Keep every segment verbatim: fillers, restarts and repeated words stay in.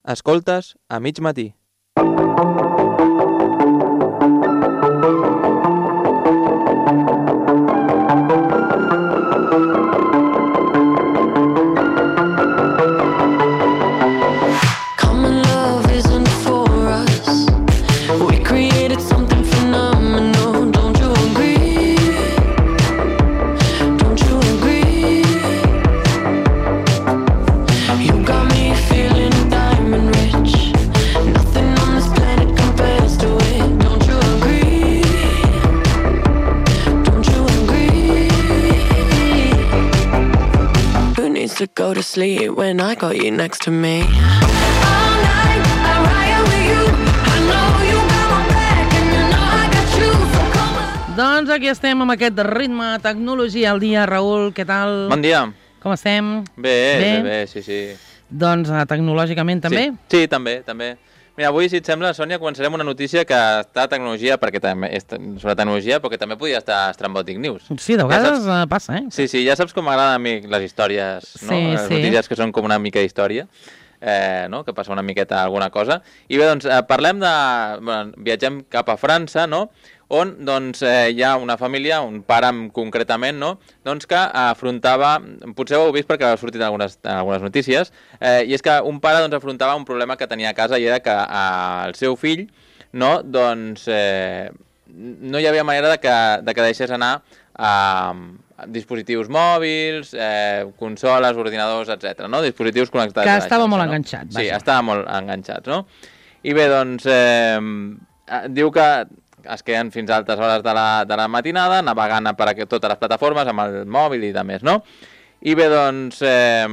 Escoltes a mig matí. To go to sleep when I got you next to me. All night I ride with you. I know you got my back and you know I got you. So come on. Doncs aquí estem amb aquest ritme, tecnologia al dia. Raül, què tal? Bon dia. Com estem? Bé, bé, bé, sí, sí. Doncs uh, tecnològicament també? Sí, sí, també, també. Mira, avui, si et sembla, Sònia, començarem una notícia que està a tecnologia, perquè també és sobre tecnologia, però que també podria estar a Estrambòtic News. Sí, de vegades ja passa, eh? Sí, sí, ja saps com m'agraden a mi les històries, no? Sí, les sí. notícies que són com una mica d'història, eh, no? Que passa una miqueta alguna cosa. I bé, doncs, eh, parlem de... Bueno, viatgem cap a França, no?, on doncs, eh, hi ha una família, un pare concretament, no?, doncs que afrontava, potser ho heu vist perquè ha sortit en algunes, en algunes notícies, eh, i és que un pare doncs, afrontava un problema que tenia a casa i era que eh, el seu fill, no, doncs, eh, no hi havia manera de que, de que deixés anar a dispositius mòbils, eh, consoles, ordinadors, etcètera, no? Dispositius connectats. Que estava xarxa, molt no? enganxat. Sí, vaja. estava molt enganxats, no? I bé, doncs, eh, diu que es queden fins a altes hores de la, de la matinada, navegant per a totes les plataformes, amb el mòbil i de més, no? I bé, doncs, eh,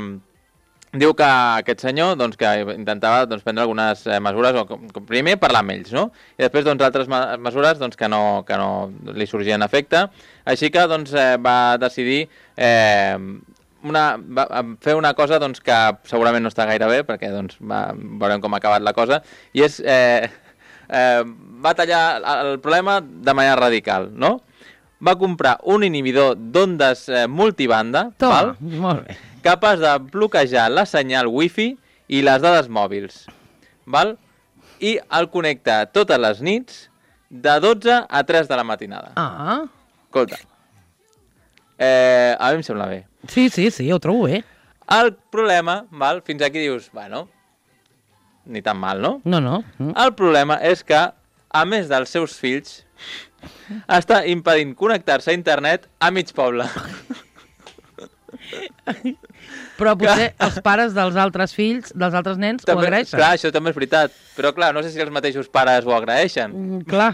diu que aquest senyor doncs, que intentava doncs, prendre algunes eh, mesures, o com, primer parlar amb ells, no? I després doncs, altres ma mesures doncs, que, no, que no li sorgien efecte. Així que doncs, eh, va decidir eh, una, va fer una cosa doncs, que segurament no està gaire bé, perquè doncs, va, veurem com ha acabat la cosa, i és... Eh, Eh, va tallar el problema de manera radical, no? Va comprar un inhibidor d'ondes eh, multibanda, Toma, val? Molt bé. Capaç de bloquejar la senyal wifi i les dades mòbils, val? I el connecta totes les nits de dotze a tres de la matinada. Ah. Escolta, eh, a mi em sembla bé. Sí, sí, sí, ho trobo bé. El problema, val? Fins aquí dius, bueno... ni tan mal, no? No, no. Mm. El problema és que, a més dels seus fills, està impedint connectar-se a internet a mig poble. Però potser que... els pares dels altres fills, dels altres nens, també, ho agraeixen. Clar, això també és veritat. Però clar, no sé si els mateixos pares ho agraeixen. Mm, clar.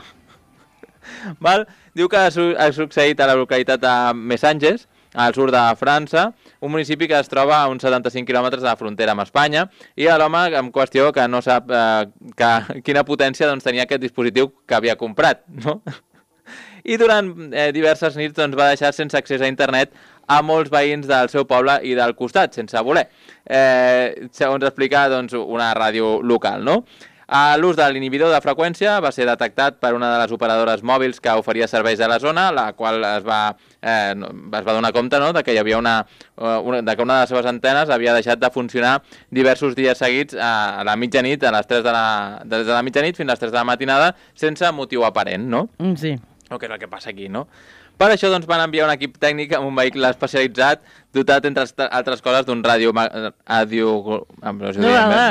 Val? Diu que ha, su ha succeït a la localitat de Messanges, al sud de França, un municipi que es troba a uns setanta-cinc quilòmetres de la frontera amb Espanya, i l'home en qüestió que no sap eh, que, quina potència doncs, tenia aquest dispositiu que havia comprat, no? I durant eh, diverses nits doncs, va deixar sense accés a internet a molts veïns del seu poble i del costat, sense voler. Eh, segons explica doncs, una ràdio local, no? L'ús de l'inhibidor de freqüència va ser detectat per una de les operadores mòbils que oferia serveis a la zona, la qual es va, eh, es va donar compte, no?, de que hi havia una, una, de que una de les seves antenes havia deixat de funcionar diversos dies seguits a la mitjanit, a les tres de la, des de la mitjanit fins a les tres de la matinada, sense motiu aparent, no? Sí. O que és el que passa aquí, no? Per això doncs, van enviar un equip tècnic amb un vehicle especialitzat dotat, entre altres coses, d'un radio, radio,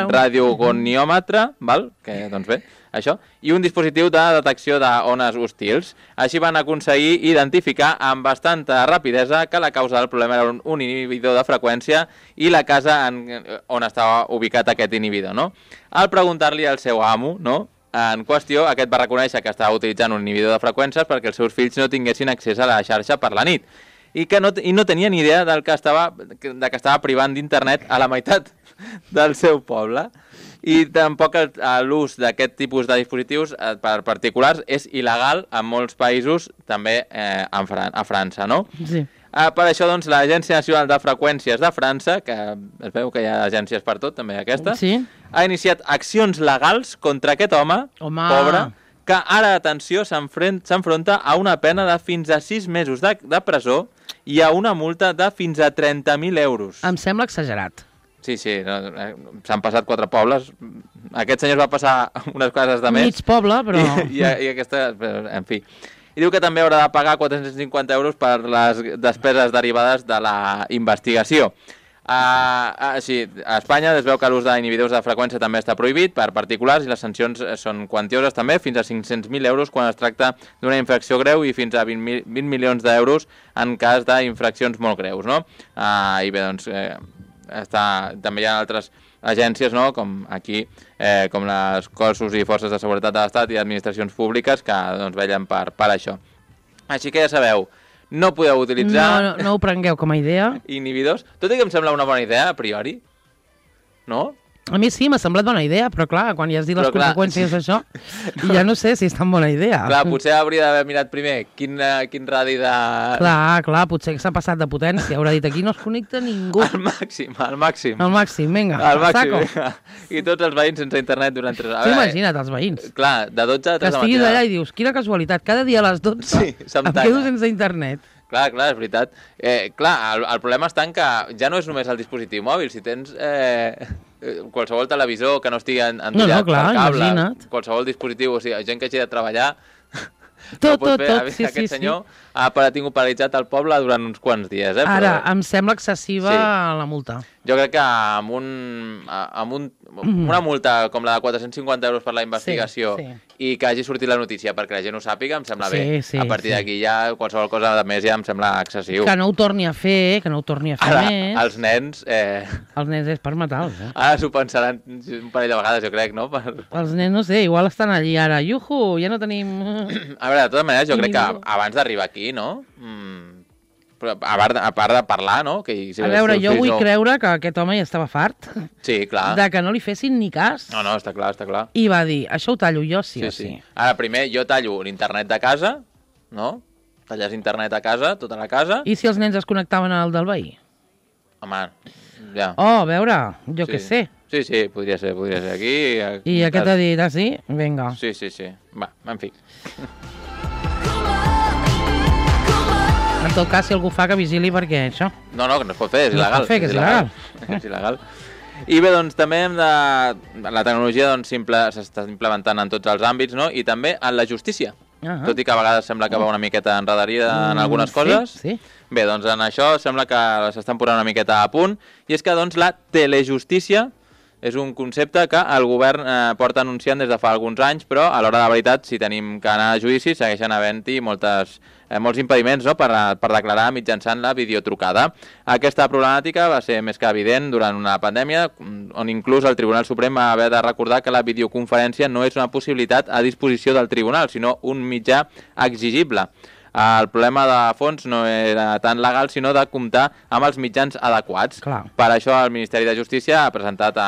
radiogoniòmetre, val? Que, doncs bé, això, i un dispositiu de detecció d'ones hostils. Així van aconseguir identificar amb bastanta rapidesa que la causa del problema era un, un inhibidor de freqüència i la casa en, on estava ubicat aquest inhibidor, no? Al preguntar-li al seu amo, no?, en qüestió, aquest va reconèixer que estava utilitzant un inhibidor de freqüències perquè els seus fills no tinguessin accés a la xarxa per la nit i que no, i no tenia ni idea del que estava, de que estava privant d'internet a la meitat del seu poble. I tampoc l'ús d'aquest tipus de dispositius eh, per particulars és il·legal en molts països, també eh, en Fran a França, no? Sí. Uh, per això, doncs, l'Agència Nacional de Freqüències de França, que es veu que hi ha agències per tot, també aquesta, sí, ha iniciat accions legals contra aquest home, home, pobre, que ara, atenció, s'enfronta a una pena de fins a sis mesos de, de presó i a una multa de fins a trenta mil euros. Em sembla exagerat. Sí, sí, no, s'han passat quatre pobles. Aquest senyor va passar unes coses de més. Mig poble, però... I, i, i aquesta, en fi. I diu que també haurà de pagar quatre-cents cinquanta euros per les despeses derivades de la investigació. Uh, uh, sí, a Espanya es veu que l'ús d'inhibidors de freqüència també està prohibit per particulars i les sancions són quantioses també, fins a cinc-cents mil euros quan es tracta d'una infracció greu i fins a vint milions d'euros en cas d'infraccions molt greus, no? Uh, I bé, doncs, eh, està, també hi ha altres agències, no? Com aquí, eh, com les cossos i forces de seguretat de l'Estat i administracions públiques que doncs, vetllen per, per això. Així que ja sabeu, no podeu utilitzar... No, no, no ho prengueu com a idea. Inhibidors. Tot i que em sembla una bona idea, a priori. No? A mi sí, m'ha semblat bona idea, però clar, quan ja has dit les Però, clar, conseqüències d'això, ja no sé si és tan bona idea. Clar, potser hauria d'haver mirat primer quin, uh, quin radi de... Clar, clar, potser s'ha passat de potència. Haurà dit, aquí no es connecta ningú. Al màxim, al màxim. Al màxim, vinga, Al màxim, saco. vinga. I tots els veïns sense internet durant tres hores. Tu imagina't, els veïns. Clar, de dotze a Que tres de estiguis matina. allà i dius, quina casualitat, cada dia a les dotze Sí, se'm em talla. quedo sense internet. Clar, clar, és veritat. Eh, clar, el, el problema està en que ja no és només el dispositiu mòbil. Si tens eh, qualsevol televisor que no estigui endollat No, no, clar, per cable, imagina't. qualsevol dispositiu, o sigui, gent que hagi de treballar... Tot, no pot tot, fer. tot, sí, Aquest sí, sí. senyor ha pa- tingut paralitzat el poble durant uns quants dies. Eh? Ara, Però em sembla excessiva Sí. la multa. jo crec que amb, un, amb un, una multa com la de quatre-cents cinquanta euros per la investigació Sí, sí. i que hagi sortit la notícia perquè la gent ho sàpiga, em sembla Sí, bé. sí, a partir sí. d'aquí ja qualsevol cosa de més ja em sembla excessiu. Que no ho torni a fer, que no ho torni a fer Ara, més. els nens... Eh, Els nens és per matar-los, eh? ara s'ho pensaran un parell de vegades, jo crec, no? Per... Els nens, no sé, igual estan allí ara. Iuhu, ja no tenim... A veure, de totes maneres, jo crec que Inhibidor. abans d'arribar aquí, no? Mm, però a part, de, a part de parlar, no? Que, si A els veure, teus jo fills vull no... creure que aquest home ja estava fart Sí, clar. de que no li fessin ni cas. No, no, està clar, està clar. I va dir, això ho tallo jo sí, Sí, o sí. sí. Ara, primer, jo tallo l'internet de casa, no? Talles internet a casa, tota la casa. I si els nens es connectaven al del veí? Home, ja. Oh, a veure, jo sí. què sé. Sí, sí, podria ser, podria ser aquí. I aquest ha dit, ah, sí? Vinga. Sí, sí, sí. Va, en fi. En tot cas, si algú fa que vigili perquè això... No, no, que no es pot fer, és No es il·legal. pot fer, que és il·legal. És il·legal. I bé, doncs també hem de... La tecnologia doncs, simple... s'està implementant en tots els àmbits, no? I també en la justícia. Ah. Tot i que a vegades sembla que va una miqueta enredarida en Mm, algunes sí, coses. sí. Bé, doncs en això sembla que s'estan posant una miqueta a punt. I és que doncs la telejustícia és un concepte que el govern eh, porta anunciant des de fa alguns anys, però a l'hora de la veritat, si tenim que anar a judici, segueixen havent-hi moltes, eh, molts impediments, no?, per, per declarar mitjançant la videotrucada. Aquesta problemàtica va ser més que evident durant una pandèmia, on inclús el Tribunal Suprem va haver de recordar que la videoconferència no és una possibilitat a disposició del tribunal, sinó un mitjà exigible. El problema de fons no era tan legal, sinó de comptar amb els mitjans adequats. Clar. Per això el Ministeri de Justícia ha presentat a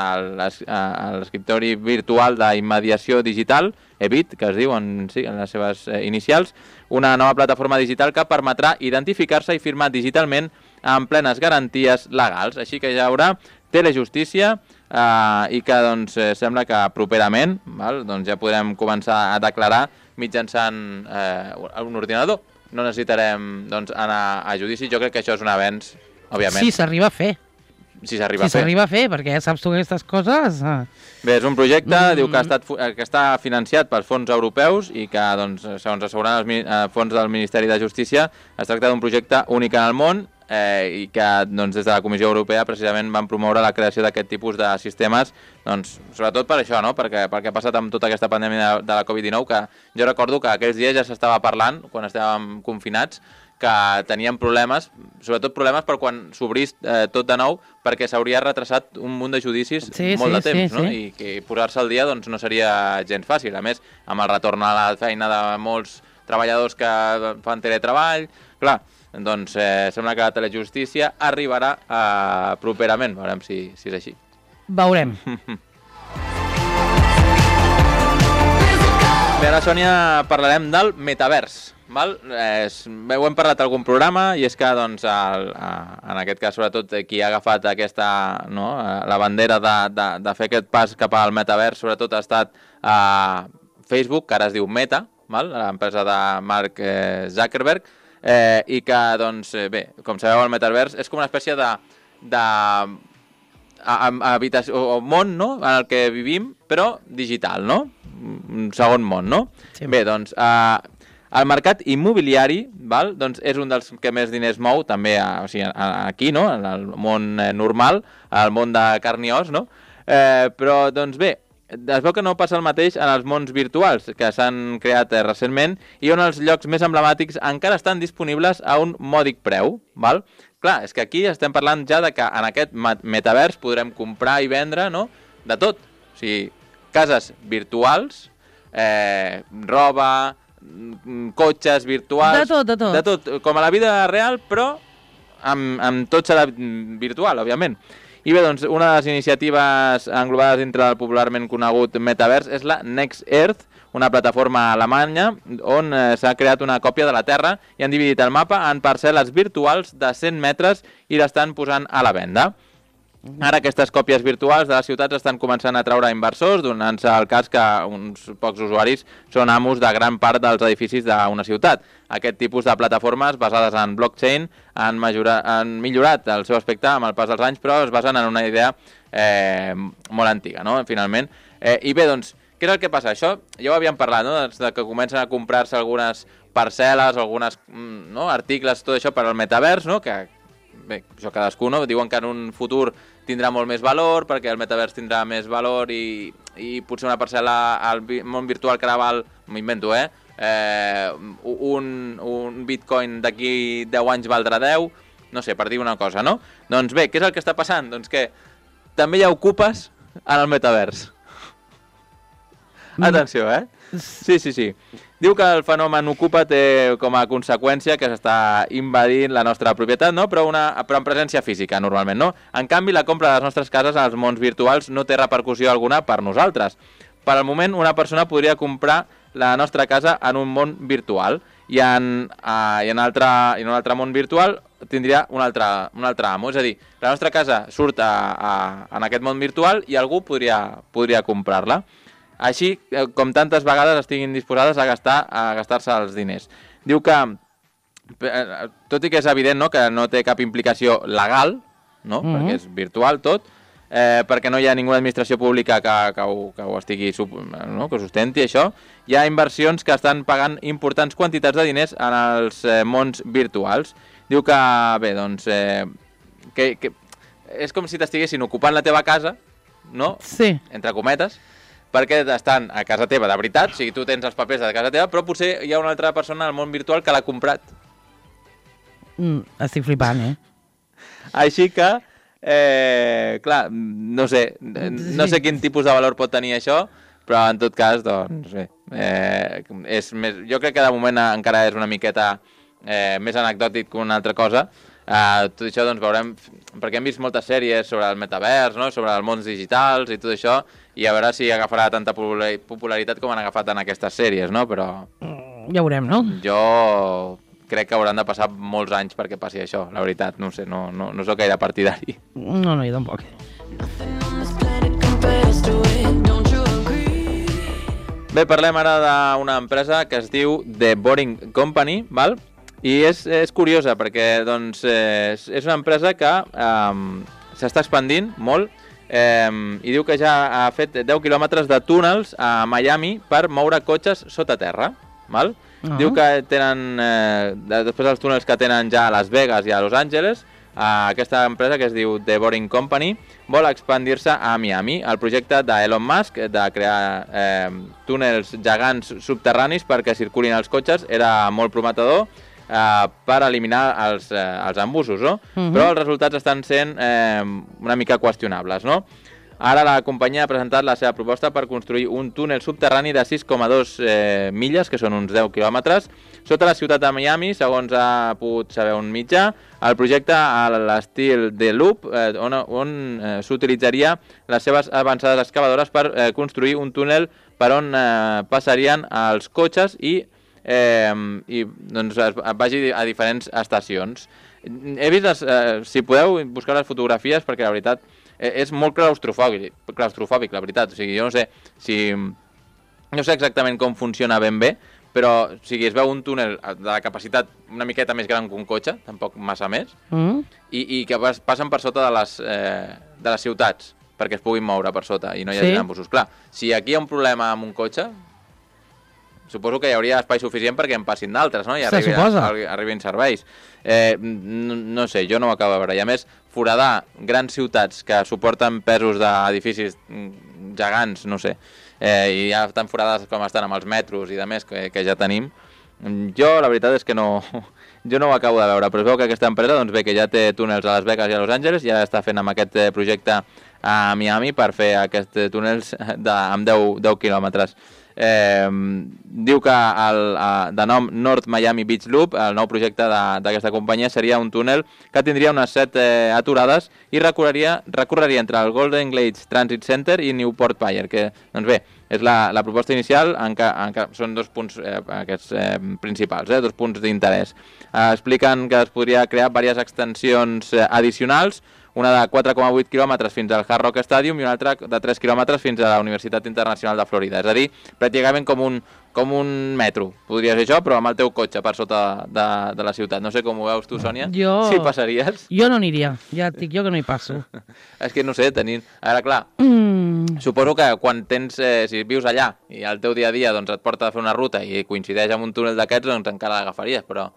l'escriptori virtual d'immediació digital, E B I T, que es diu en, sí, en les seves eh, inicials, una nova plataforma digital que permetrà identificar-se i firmar digitalment amb plenes garanties legals. Així que ja hi haurà telejustícia eh, i que doncs, eh, sembla que properament val, doncs ja podrem començar a declarar mitjançant eh, un ordinador. No necessitarem doncs, anar a judici. Jo crec que això és un avenç, òbviament. Si s'arriba a fer. Si s'arriba Si a fer. s'arriba a fer, perquè ja saps tu que aquestes coses... eh, Bé, és un projecte, Mm. diu que, ha estat, fu- eh, que està financiat pels fons europeus i que, doncs, segons asseguren els mi- eh, fons del Ministeri de Justícia, es tracta d'un projecte únic en el món eh, i que doncs, des de la Comissió Europea precisament van promoure la creació d'aquest tipus de sistemes, doncs, sobretot per això, no? perquè, perquè ha passat amb tota aquesta pandèmia de, de la Covid dinou, que jo recordo que aquells dies ja s'estava parlant, quan estàvem confinats, que tenien problemes, sobretot problemes per quan s'obrís eh, tot de nou, perquè s'hauria retrasat un munt de judicis Sí, molt sí, de temps, sí, no? sí. I que posar-se al dia doncs, no seria gens fàcil. A més, amb el retorn a la feina de molts treballadors que fan teletreball, clar, doncs eh, sembla que la telejustícia arribarà eh, properament, veurem si, si és així. Veurem. Bé, ara, Sònia, parlarem del metavers. Val? Eh, bé, ho hem parlat a algun programa i és que, doncs, el, a, en aquest cas, sobretot, qui ha agafat aquesta, no, la bandera de, de, de fer aquest pas cap al metavers, sobretot ha estat a Facebook, que ara es diu Meta, val? L'empresa de Mark eh, Zuckerberg, eh, i que, doncs, eh, bé, com sabeu, el metavers és com una espècie de, de a, a habitació, o món, no?, en el que vivim, però digital, no? Un segon món, no? Sí. Bé, doncs, eh, el mercat immobiliari, val? Doncs és un dels que més diners mou, també a, o sigui, a, aquí, no?, en el món eh, normal, al món de carn i os, no? Eh, però, doncs bé, es veu que no passa el mateix en els mons virtuals que s'han creat eh, recentment i on els llocs més emblemàtics encara estan disponibles a un mòdic preu, val? Clar, és que aquí estem parlant ja de que en aquest metavers podrem comprar i vendre, no?, de tot. O sigui, cases virtuals, eh, roba, cotxes virtuals... De tot, de tot. De tot, com a la vida real, però amb, amb tot serà virtual, òbviament. I bé, doncs, una de les iniciatives englobades dintre del popularment conegut metavers és la Next Earth, una plataforma alemanya on eh, s'ha creat una còpia de la Terra i han dividit el mapa en parcel·les virtuals de cent metres i l'estan posant a la venda. Ara aquestes còpies virtuals de les ciutats estan començant a atraure inversors, donant-se el cas que uns pocs usuaris són amos de gran part dels edificis d'una ciutat. Aquest tipus de plataformes basades en blockchain han, majora, han millorat el seu aspecte amb el pas dels anys, però es basen en una idea eh, molt antiga, no?, finalment. Eh, I bé, doncs, què és el que passa? Això ja ho havíem parlat, no?, de que comencen a comprar-se algunes parcel·les, algunes no, articles, tot això per al metavers, no?, que bé, això cadascú, no? Diuen que en un futur tindrà molt més valor, perquè el metavers tindrà més valor i, i potser una parcel·la al món virtual que ara val, m'invento, eh? eh un, un bitcoin d'aquí deu anys valdrà deu, no sé, per dir una cosa, no? Doncs bé, què és el que està passant? Doncs que també hi ha ocupes en el metavers. Atenció, eh? Sí, sí, sí. Diu que el fenomen ocupa té com a conseqüència que s'està invadint la nostra propietat, no? Però, una, però en presència física, normalment, no? En canvi, la compra de les nostres cases als mons virtuals no té repercussió alguna per nosaltres. Per al moment, una persona podria comprar la nostra casa en un món virtual i en, uh, i en, altre, i en un altre món virtual tindria un altre, un altre amo. És a dir, la nostra casa surt a, a, en aquest món virtual i algú podria, podria comprar-la. Així, com tantes vegades estiguin disposades a gastar a gastar-se els diners. Diu que, tot i que és evident, no?, que no té cap implicació legal, no?, mm-hmm. perquè és virtual tot, eh, perquè no hi ha ninguna administració pública que, que, ho, que ho estigui, no?, que ho sustenti, això, hi ha inversions que estan pagant importants quantitats de diners en els eh, mons virtuals. Diu que, bé, doncs, eh, que, que és com si t'estiguessin ocupant la teva casa, no?, sí. entre cometes, perquè estan a casa teva de veritat, o sigui, tu tens els papers de casa teva, però potser hi ha una altra persona al món virtual que l'ha comprat. Mm, estic flipant, eh? Així que, eh, clar, no sé, no sé quin tipus de valor pot tenir això, però en tot cas, doncs, bé, eh, és més, jo crec que de moment encara és una miqueta eh, més anecdòtic que una altra cosa. Uh, tot això doncs veurem, perquè hem vist moltes sèries sobre el metavers, no?, sobre els mons digitals i tot això, i a veure si agafarà tanta popularitat com han agafat en aquestes sèries, no? Però ja veurem, no? Jo crec que hauran de passar molts anys perquè passi això, la veritat, no sé, no, no, no soc gaire partidari. No, no, jo tampoc. Bé, parlem ara d'una empresa que es diu The Boring Company, val? I és, és curiosa perquè doncs, és, és una empresa que eh, s'està expandint molt eh, i diu que ja ha fet deu quilòmetres de túnels a Miami per moure cotxes sota terra. Val? Uh-huh. Diu que tenen, eh, després dels túnels que tenen ja a Las Vegas i a Los Angeles, eh, aquesta empresa que es diu The Boring Company vol expandir-se a Miami. El projecte d'Elon Musk de crear eh, túnels gegants subterranis perquè circulin els cotxes era molt prometedor, Uh, per eliminar els, uh, els embussos, no? Uh-huh. Però els resultats estan sent eh, una mica qüestionables, no? Ara la companyia ha presentat la seva proposta per construir un túnel subterrani de sis coma dos eh, milles, que són uns deu quilòmetres, sota la ciutat de Miami, segons ha pogut saber un mitjà. El projecte a l'estil de Loop, eh, on, on eh, s'utilitzaria les seves avançades excavadores per eh, construir un túnel per on eh, passarien els cotxes i Eh, i doncs vagi a diferents estacions. He vist les, eh, si podeu buscar les fotografies, perquè la veritat eh, és molt claustrofòbic, claustrofòbic, la veritat. O sigui, jo no sé si no sé exactament com funciona ben bé, però o sigui, es veu un túnel de la capacitat una miqueta més gran que un cotxe, tampoc massa més, Mm. i, i que pas, passen per sota de les, eh, de les ciutats perquè es puguin moure per sota i no hi hagi Sí. embussos. Clar, si aquí hi ha un problema amb un cotxe, suposo que hi hauria espai suficient perquè en passin d'altres, no? I Se arribi, suposa. arri- arribin serveis. Eh, no, no sé, jo no ho acabo de veure. I a més, foradar grans ciutats que suporten pesos d'edificis mm, gegants, no sé, eh, i ja estan forades com estan amb els metros i de més que, que ja tenim, jo la veritat és que no, jo no ho acabo de veure, però es veu que aquesta empresa doncs bé, que ja té túnels a Las Vegas i a Los Angeles, ja està fent amb aquest eh, projecte a Miami per fer aquests eh, túnels de, amb deu quilòmetres. Eh, diu que el, eh, de nom North Miami Beach Loop, el nou projecte de- d'aquesta companyia, seria un túnel que tindria unes set eh, aturades i recorreria, recorreria entre el Golden Glades Transit Center i Newport Pier, que, doncs bé, és la, la proposta inicial, en què, en què són dos punts eh, aquests eh, principals, eh, dos punts d'interès. Eh, expliquen que es podria crear diverses extensions eh, addicionals, una de quatre coma vuit quilòmetres fins al Hard Rock Stadium i una altra de tres quilòmetres fins a la Universitat Internacional de Florida. És a dir, pràcticament com un, com un metro, podria ser això, però amb el teu cotxe per sota de, de la ciutat. No sé com ho veus tu, Sònia. Jo... Si passaries. Jo no aniria, ja et dic jo que no hi passo. És que no sé, tenint... Ara, clar, Mm. suposo que quan tens, eh, si vius allà i el teu dia a dia doncs, et porta a fer una ruta i coincideix amb un túnel d'aquests, doncs encara l'agafaries, però,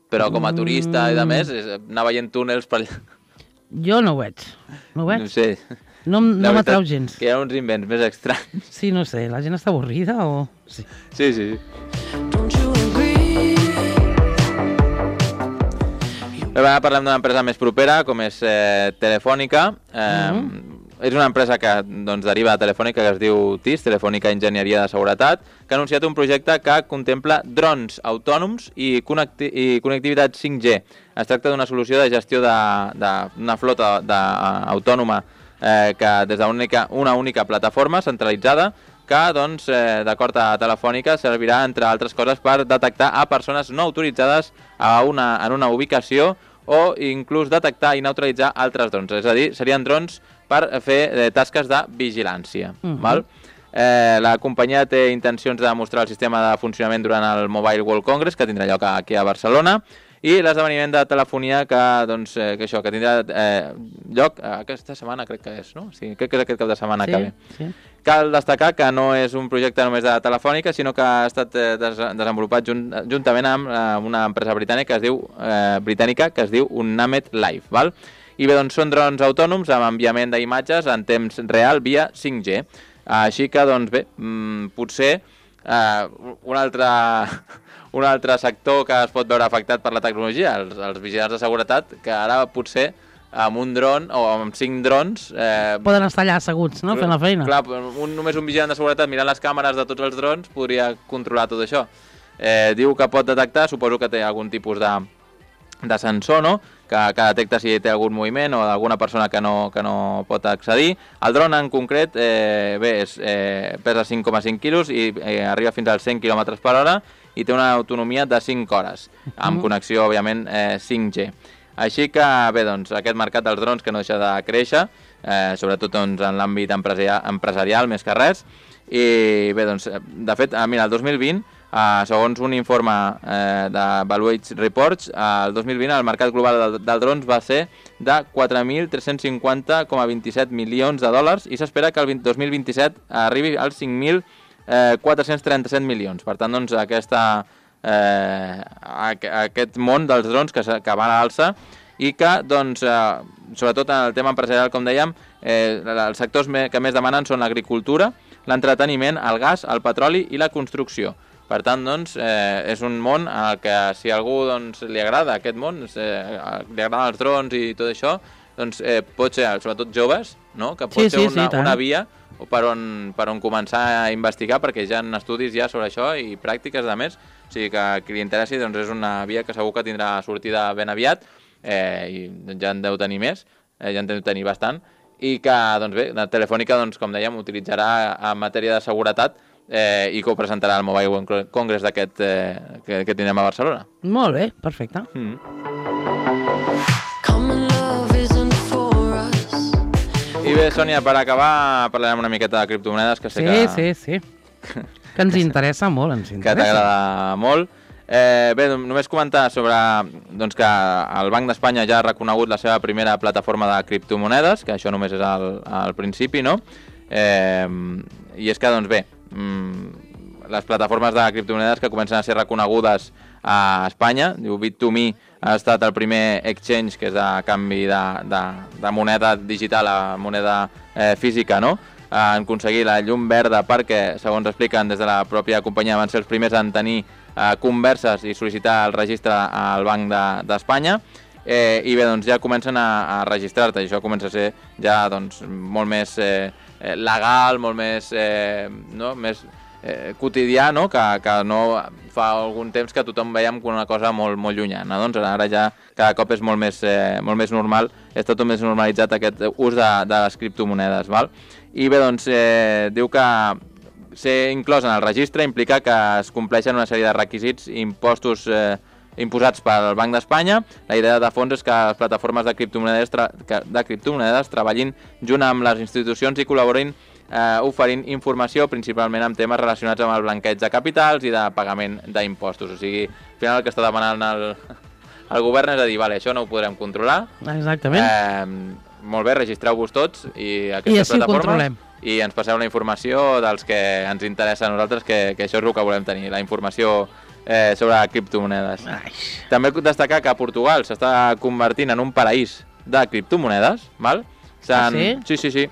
però com a turista i de més, és anar veient túnels per allà. Jo no ho veig, no ho veig. No sé. No, m- La no veritat m'atrau gens. Que hi ha uns invents més estranys. Sí, no sé, la gent està avorrida o... Sí. Sí, sí, sí. Don't you agree? Bé, ara parlem d'una empresa més propera, com és eh, Telefònica. Eh, Mhm. És una empresa que doncs, deriva de Telefònica, que es diu T I S, Telefònica Enginyeria de Seguretat, que ha anunciat un projecte que contempla drons autònoms i, connecti i connectivitat cinc G. Es tracta d'una solució de gestió d'una flota de, uh, autònoma eh, que des d'una única, una única plataforma centralitzada que, doncs, eh, d'acord a Telefònica, servirà, entre altres coses, per detectar a persones no autoritzades a una, en una ubicació o inclús detectar i neutralitzar altres drons. És a dir, serien drons per fer eh, tasques de vigilància. Mhm. Val? Eh, la companyia té intencions de mostrar el sistema de funcionament durant el Mobile World Congress, que tindrà lloc aquí a Barcelona, i l'esdeveniment de telefonia que, doncs, eh, que, això, que tindrà eh, lloc aquesta setmana, crec que és, no? Sí, crec que és aquest cap de setmana Sí, que ve. sí. Cal destacar que no és un projecte només de Telefònica, sinó que ha estat eh, des desenvolupat junt juntament amb eh, una empresa britànica que es diu eh, britànica que es diu Unamed Live, val? I bé, doncs són drons autònoms amb enviament d'imatges en temps real via cinc G. Així que, doncs bé, mmm, potser eh, un altre un altre sector que es pot veure afectat per la tecnologia, els, els vigilants de seguretat, que ara potser amb un dron o amb cinc drons... Eh, Poden estar allà asseguts, no?, fent la feina. Clar, un, només un vigilant de seguretat mirant les càmeres de tots els drons podria controlar tot això. Eh, diu que pot detectar, suposo que té algun tipus de, de sensor, no?, que, que detecta si té algun moviment o d'alguna persona que no, que no pot accedir. El dron en concret eh, bé, és, eh, pesa cinc coma cinc quilos i eh, arriba fins als cent quilòmetres per hora i té una autonomia de cinc hores, amb connexió, òbviament, eh, cinc G. Així que, bé, doncs, aquest mercat dels drons que no deixa de créixer, eh, sobretot doncs, en l'àmbit empresarial, empresarial, més que res, i bé, doncs, de fet, eh, mira, el dos mil vint, eh, segons un informe eh, de Valuates Reports, eh, el dos mil vint el mercat global del, del drons va ser de quatre mil tres-cents cinquanta coma vint-i-set milions de dòlars i s'espera que el dos mil vint-i-set arribi als cinc mil quatre-cents trenta-set milions. Per tant, doncs, aquesta... Eh, aquest món dels drons que, que va a l'alça i que, doncs, eh, sobretot en el tema empresarial, com dèiem, eh, els sectors que més demanen són l'agricultura, l'entreteniment, el gas, el petroli i la construcció. Per tant, doncs, eh, és un món en el que si a algú doncs, li agrada aquest món, eh, li agraden els drons i tot això, doncs eh, pot ser, sobretot joves, no?, que pot Sí, ser sí, una, sí, tant. una via per on, per on començar a investigar, perquè ja hi ha estudis ja sobre això i pràctiques de més. O sigui que a qui li interessi doncs és una via que segur que tindrà sortida ben aviat, eh, i ja en deu tenir més, eh, ja en deu tenir bastant, i que, doncs bé, la Telefònica, doncs, com dèiem, utilitzarà en matèria de seguretat eh, i que ho presentarà al Mobile World Congress d'aquest eh, que, que tindrem a Barcelona. Molt bé, perfecte. Mm. Common love isn't for us. I bé, Sònia, per acabar parlarem una miqueta de criptomonedes, que sé Sí, que... sí, sí. Que ens interessa molt, ens que interessa. t'agrada molt. Eh, bé, només comentar sobre doncs, que el Banc d'Espanya ja ha reconegut la seva primera plataforma de criptomonedes, que això només és al, al principi, no? Eh, I és que, doncs bé, mmm, les plataformes de criptomonedes que comencen a ser reconegudes a Espanya, diu bit to me ha estat el primer exchange que és de canvi de, de, de moneda digital a moneda eh, física, no? Han aconseguit la llum verda perquè, segons expliquen des de la pròpia companyia, van ser els primers en tenir eh, converses i sol·licitar el registre al Banc d'Espanya. De, eh, I bé, doncs ja comencen a, a registrar-te, i això comença a ser ja doncs, molt més eh, legal, molt més, eh, no? més eh, quotidià, no? Que, que no fa algun temps que tothom veiem com una cosa molt, molt llunyana. Doncs ara ja cada cop és molt més, eh, molt més normal, és tot més normalitzat aquest ús de, de les criptomonedes, val? I bé, doncs, eh, diu que ser inclòs en el registre implica que es compleixen una sèrie de requisits impostos eh, imposats pel Banc d'Espanya. La idea de fons és que les plataformes de criptomonedes, tra de criptomonedes treballin junt amb les institucions i col·laborin eh, oferint informació principalment amb temes relacionats amb el blanqueig de capitals i de pagament d'impostos. O sigui, al final el que està demanant el, el govern és a dir, vale, això no ho podrem controlar. Exactament. Eh, molt bé, registreu-vos tots i I aquestes així ho plataformes controlem. i ens passeu la informació dels que ens interessa a nosaltres, que, que això és el que volem tenir, la informació eh, sobre criptomonedes. Ai. També destacar que Portugal s'està convertint en un paraís de criptomonedes, val? Ah, sí? Sí, sí, sí.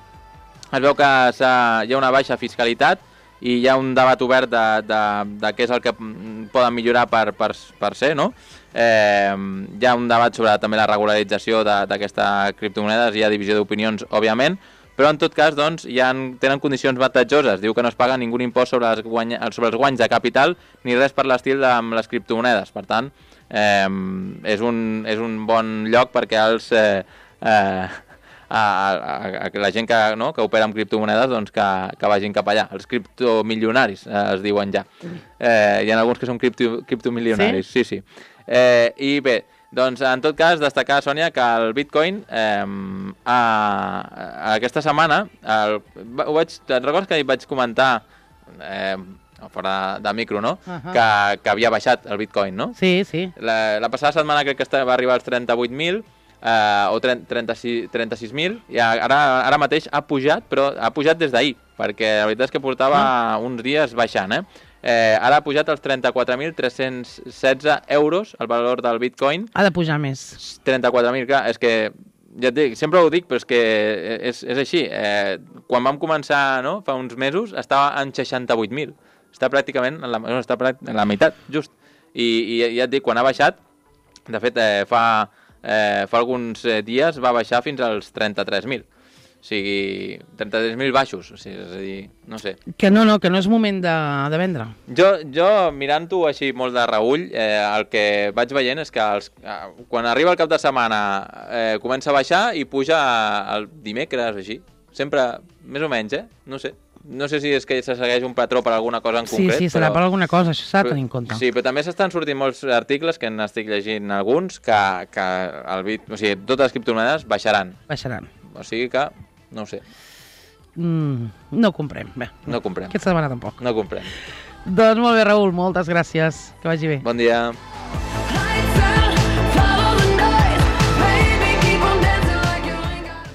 Es veu que hi ha una baixa fiscalitat i hi ha un debat obert de, de, de què és el que poden millorar per, per, per ser, no? Eh, hi ha un debat sobre també la regularització d'aquestes criptomonedes, hi ha divisió d'opinions, òbviament, però en tot cas doncs, ja tenen condicions avantatjoses. Diu que no es paga ningú impost sobre, les guany... sobre els guanys de capital ni res per l'estil amb les criptomonedes. Per tant, eh, és, un, és un bon lloc perquè els... Eh, eh, A, a, a la gent que, no, que opera amb criptomonedes doncs que, que vagin cap allà. Els criptomilionaris eh, es diuen ja. Eh, hi ha alguns que són cripto, criptomilionaris. Sí, sí. sí. Eh, I bé, doncs en tot cas destacar, Sònia, que el Bitcoin eh, a, a aquesta setmana, el, ho vaig, te'n recordes que vaig comentar eh, fora de micro, no? Uh -huh. que, que havia baixat el Bitcoin, no? Sí, sí. La, la passada setmana crec que va arribar als trenta-vuit mil, Uh, o trenta-sis mil, i ara, ara mateix ha pujat, però ha pujat des d'ahir, perquè la veritat és que portava ah. uns dies baixant, eh? Eh, ara ha pujat als trenta-quatre mil tres-cents setze euros el valor del Bitcoin. Ha de pujar més. trenta-quatre mil, clar, és que ja et dic, sempre ho dic, però és que és, és així. Eh, quan vam començar, no?, fa uns mesos, estava en seixanta-vuit mil. Està pràcticament en la, no, està en la meitat, just. I, i ja et dic, quan ha baixat, de fet, eh, fa... Eh, fa alguns eh, dies va baixar fins als trenta-tres mil. O sigui, trenta-tres mil baixos. O sigui, és a dir, no sé. Que no, no, que no és moment de, de vendre. Jo, jo mirant-ho així molt de reull, eh, el que vaig veient és que els, eh, quan arriba el cap de setmana eh, comença a baixar i puja el dimecres, així. Sempre, més o menys, eh? No sé. No sé si és que se segueix un patró per alguna cosa en concret. Sí, sí, serà però... per alguna cosa, això s'ha de tenir en compte. Sí, però també s'estan sortint molts articles, que n'estic llegint alguns, que, que el bit, o sigui, totes les criptomonedes baixaran. Baixaran. O sigui que, no ho sé. Mm, no comprem. Bé, no comprem. Aquesta setmana tampoc. No comprem. Doncs molt bé, Raül, moltes gràcies. Que vagi bé. Bon dia.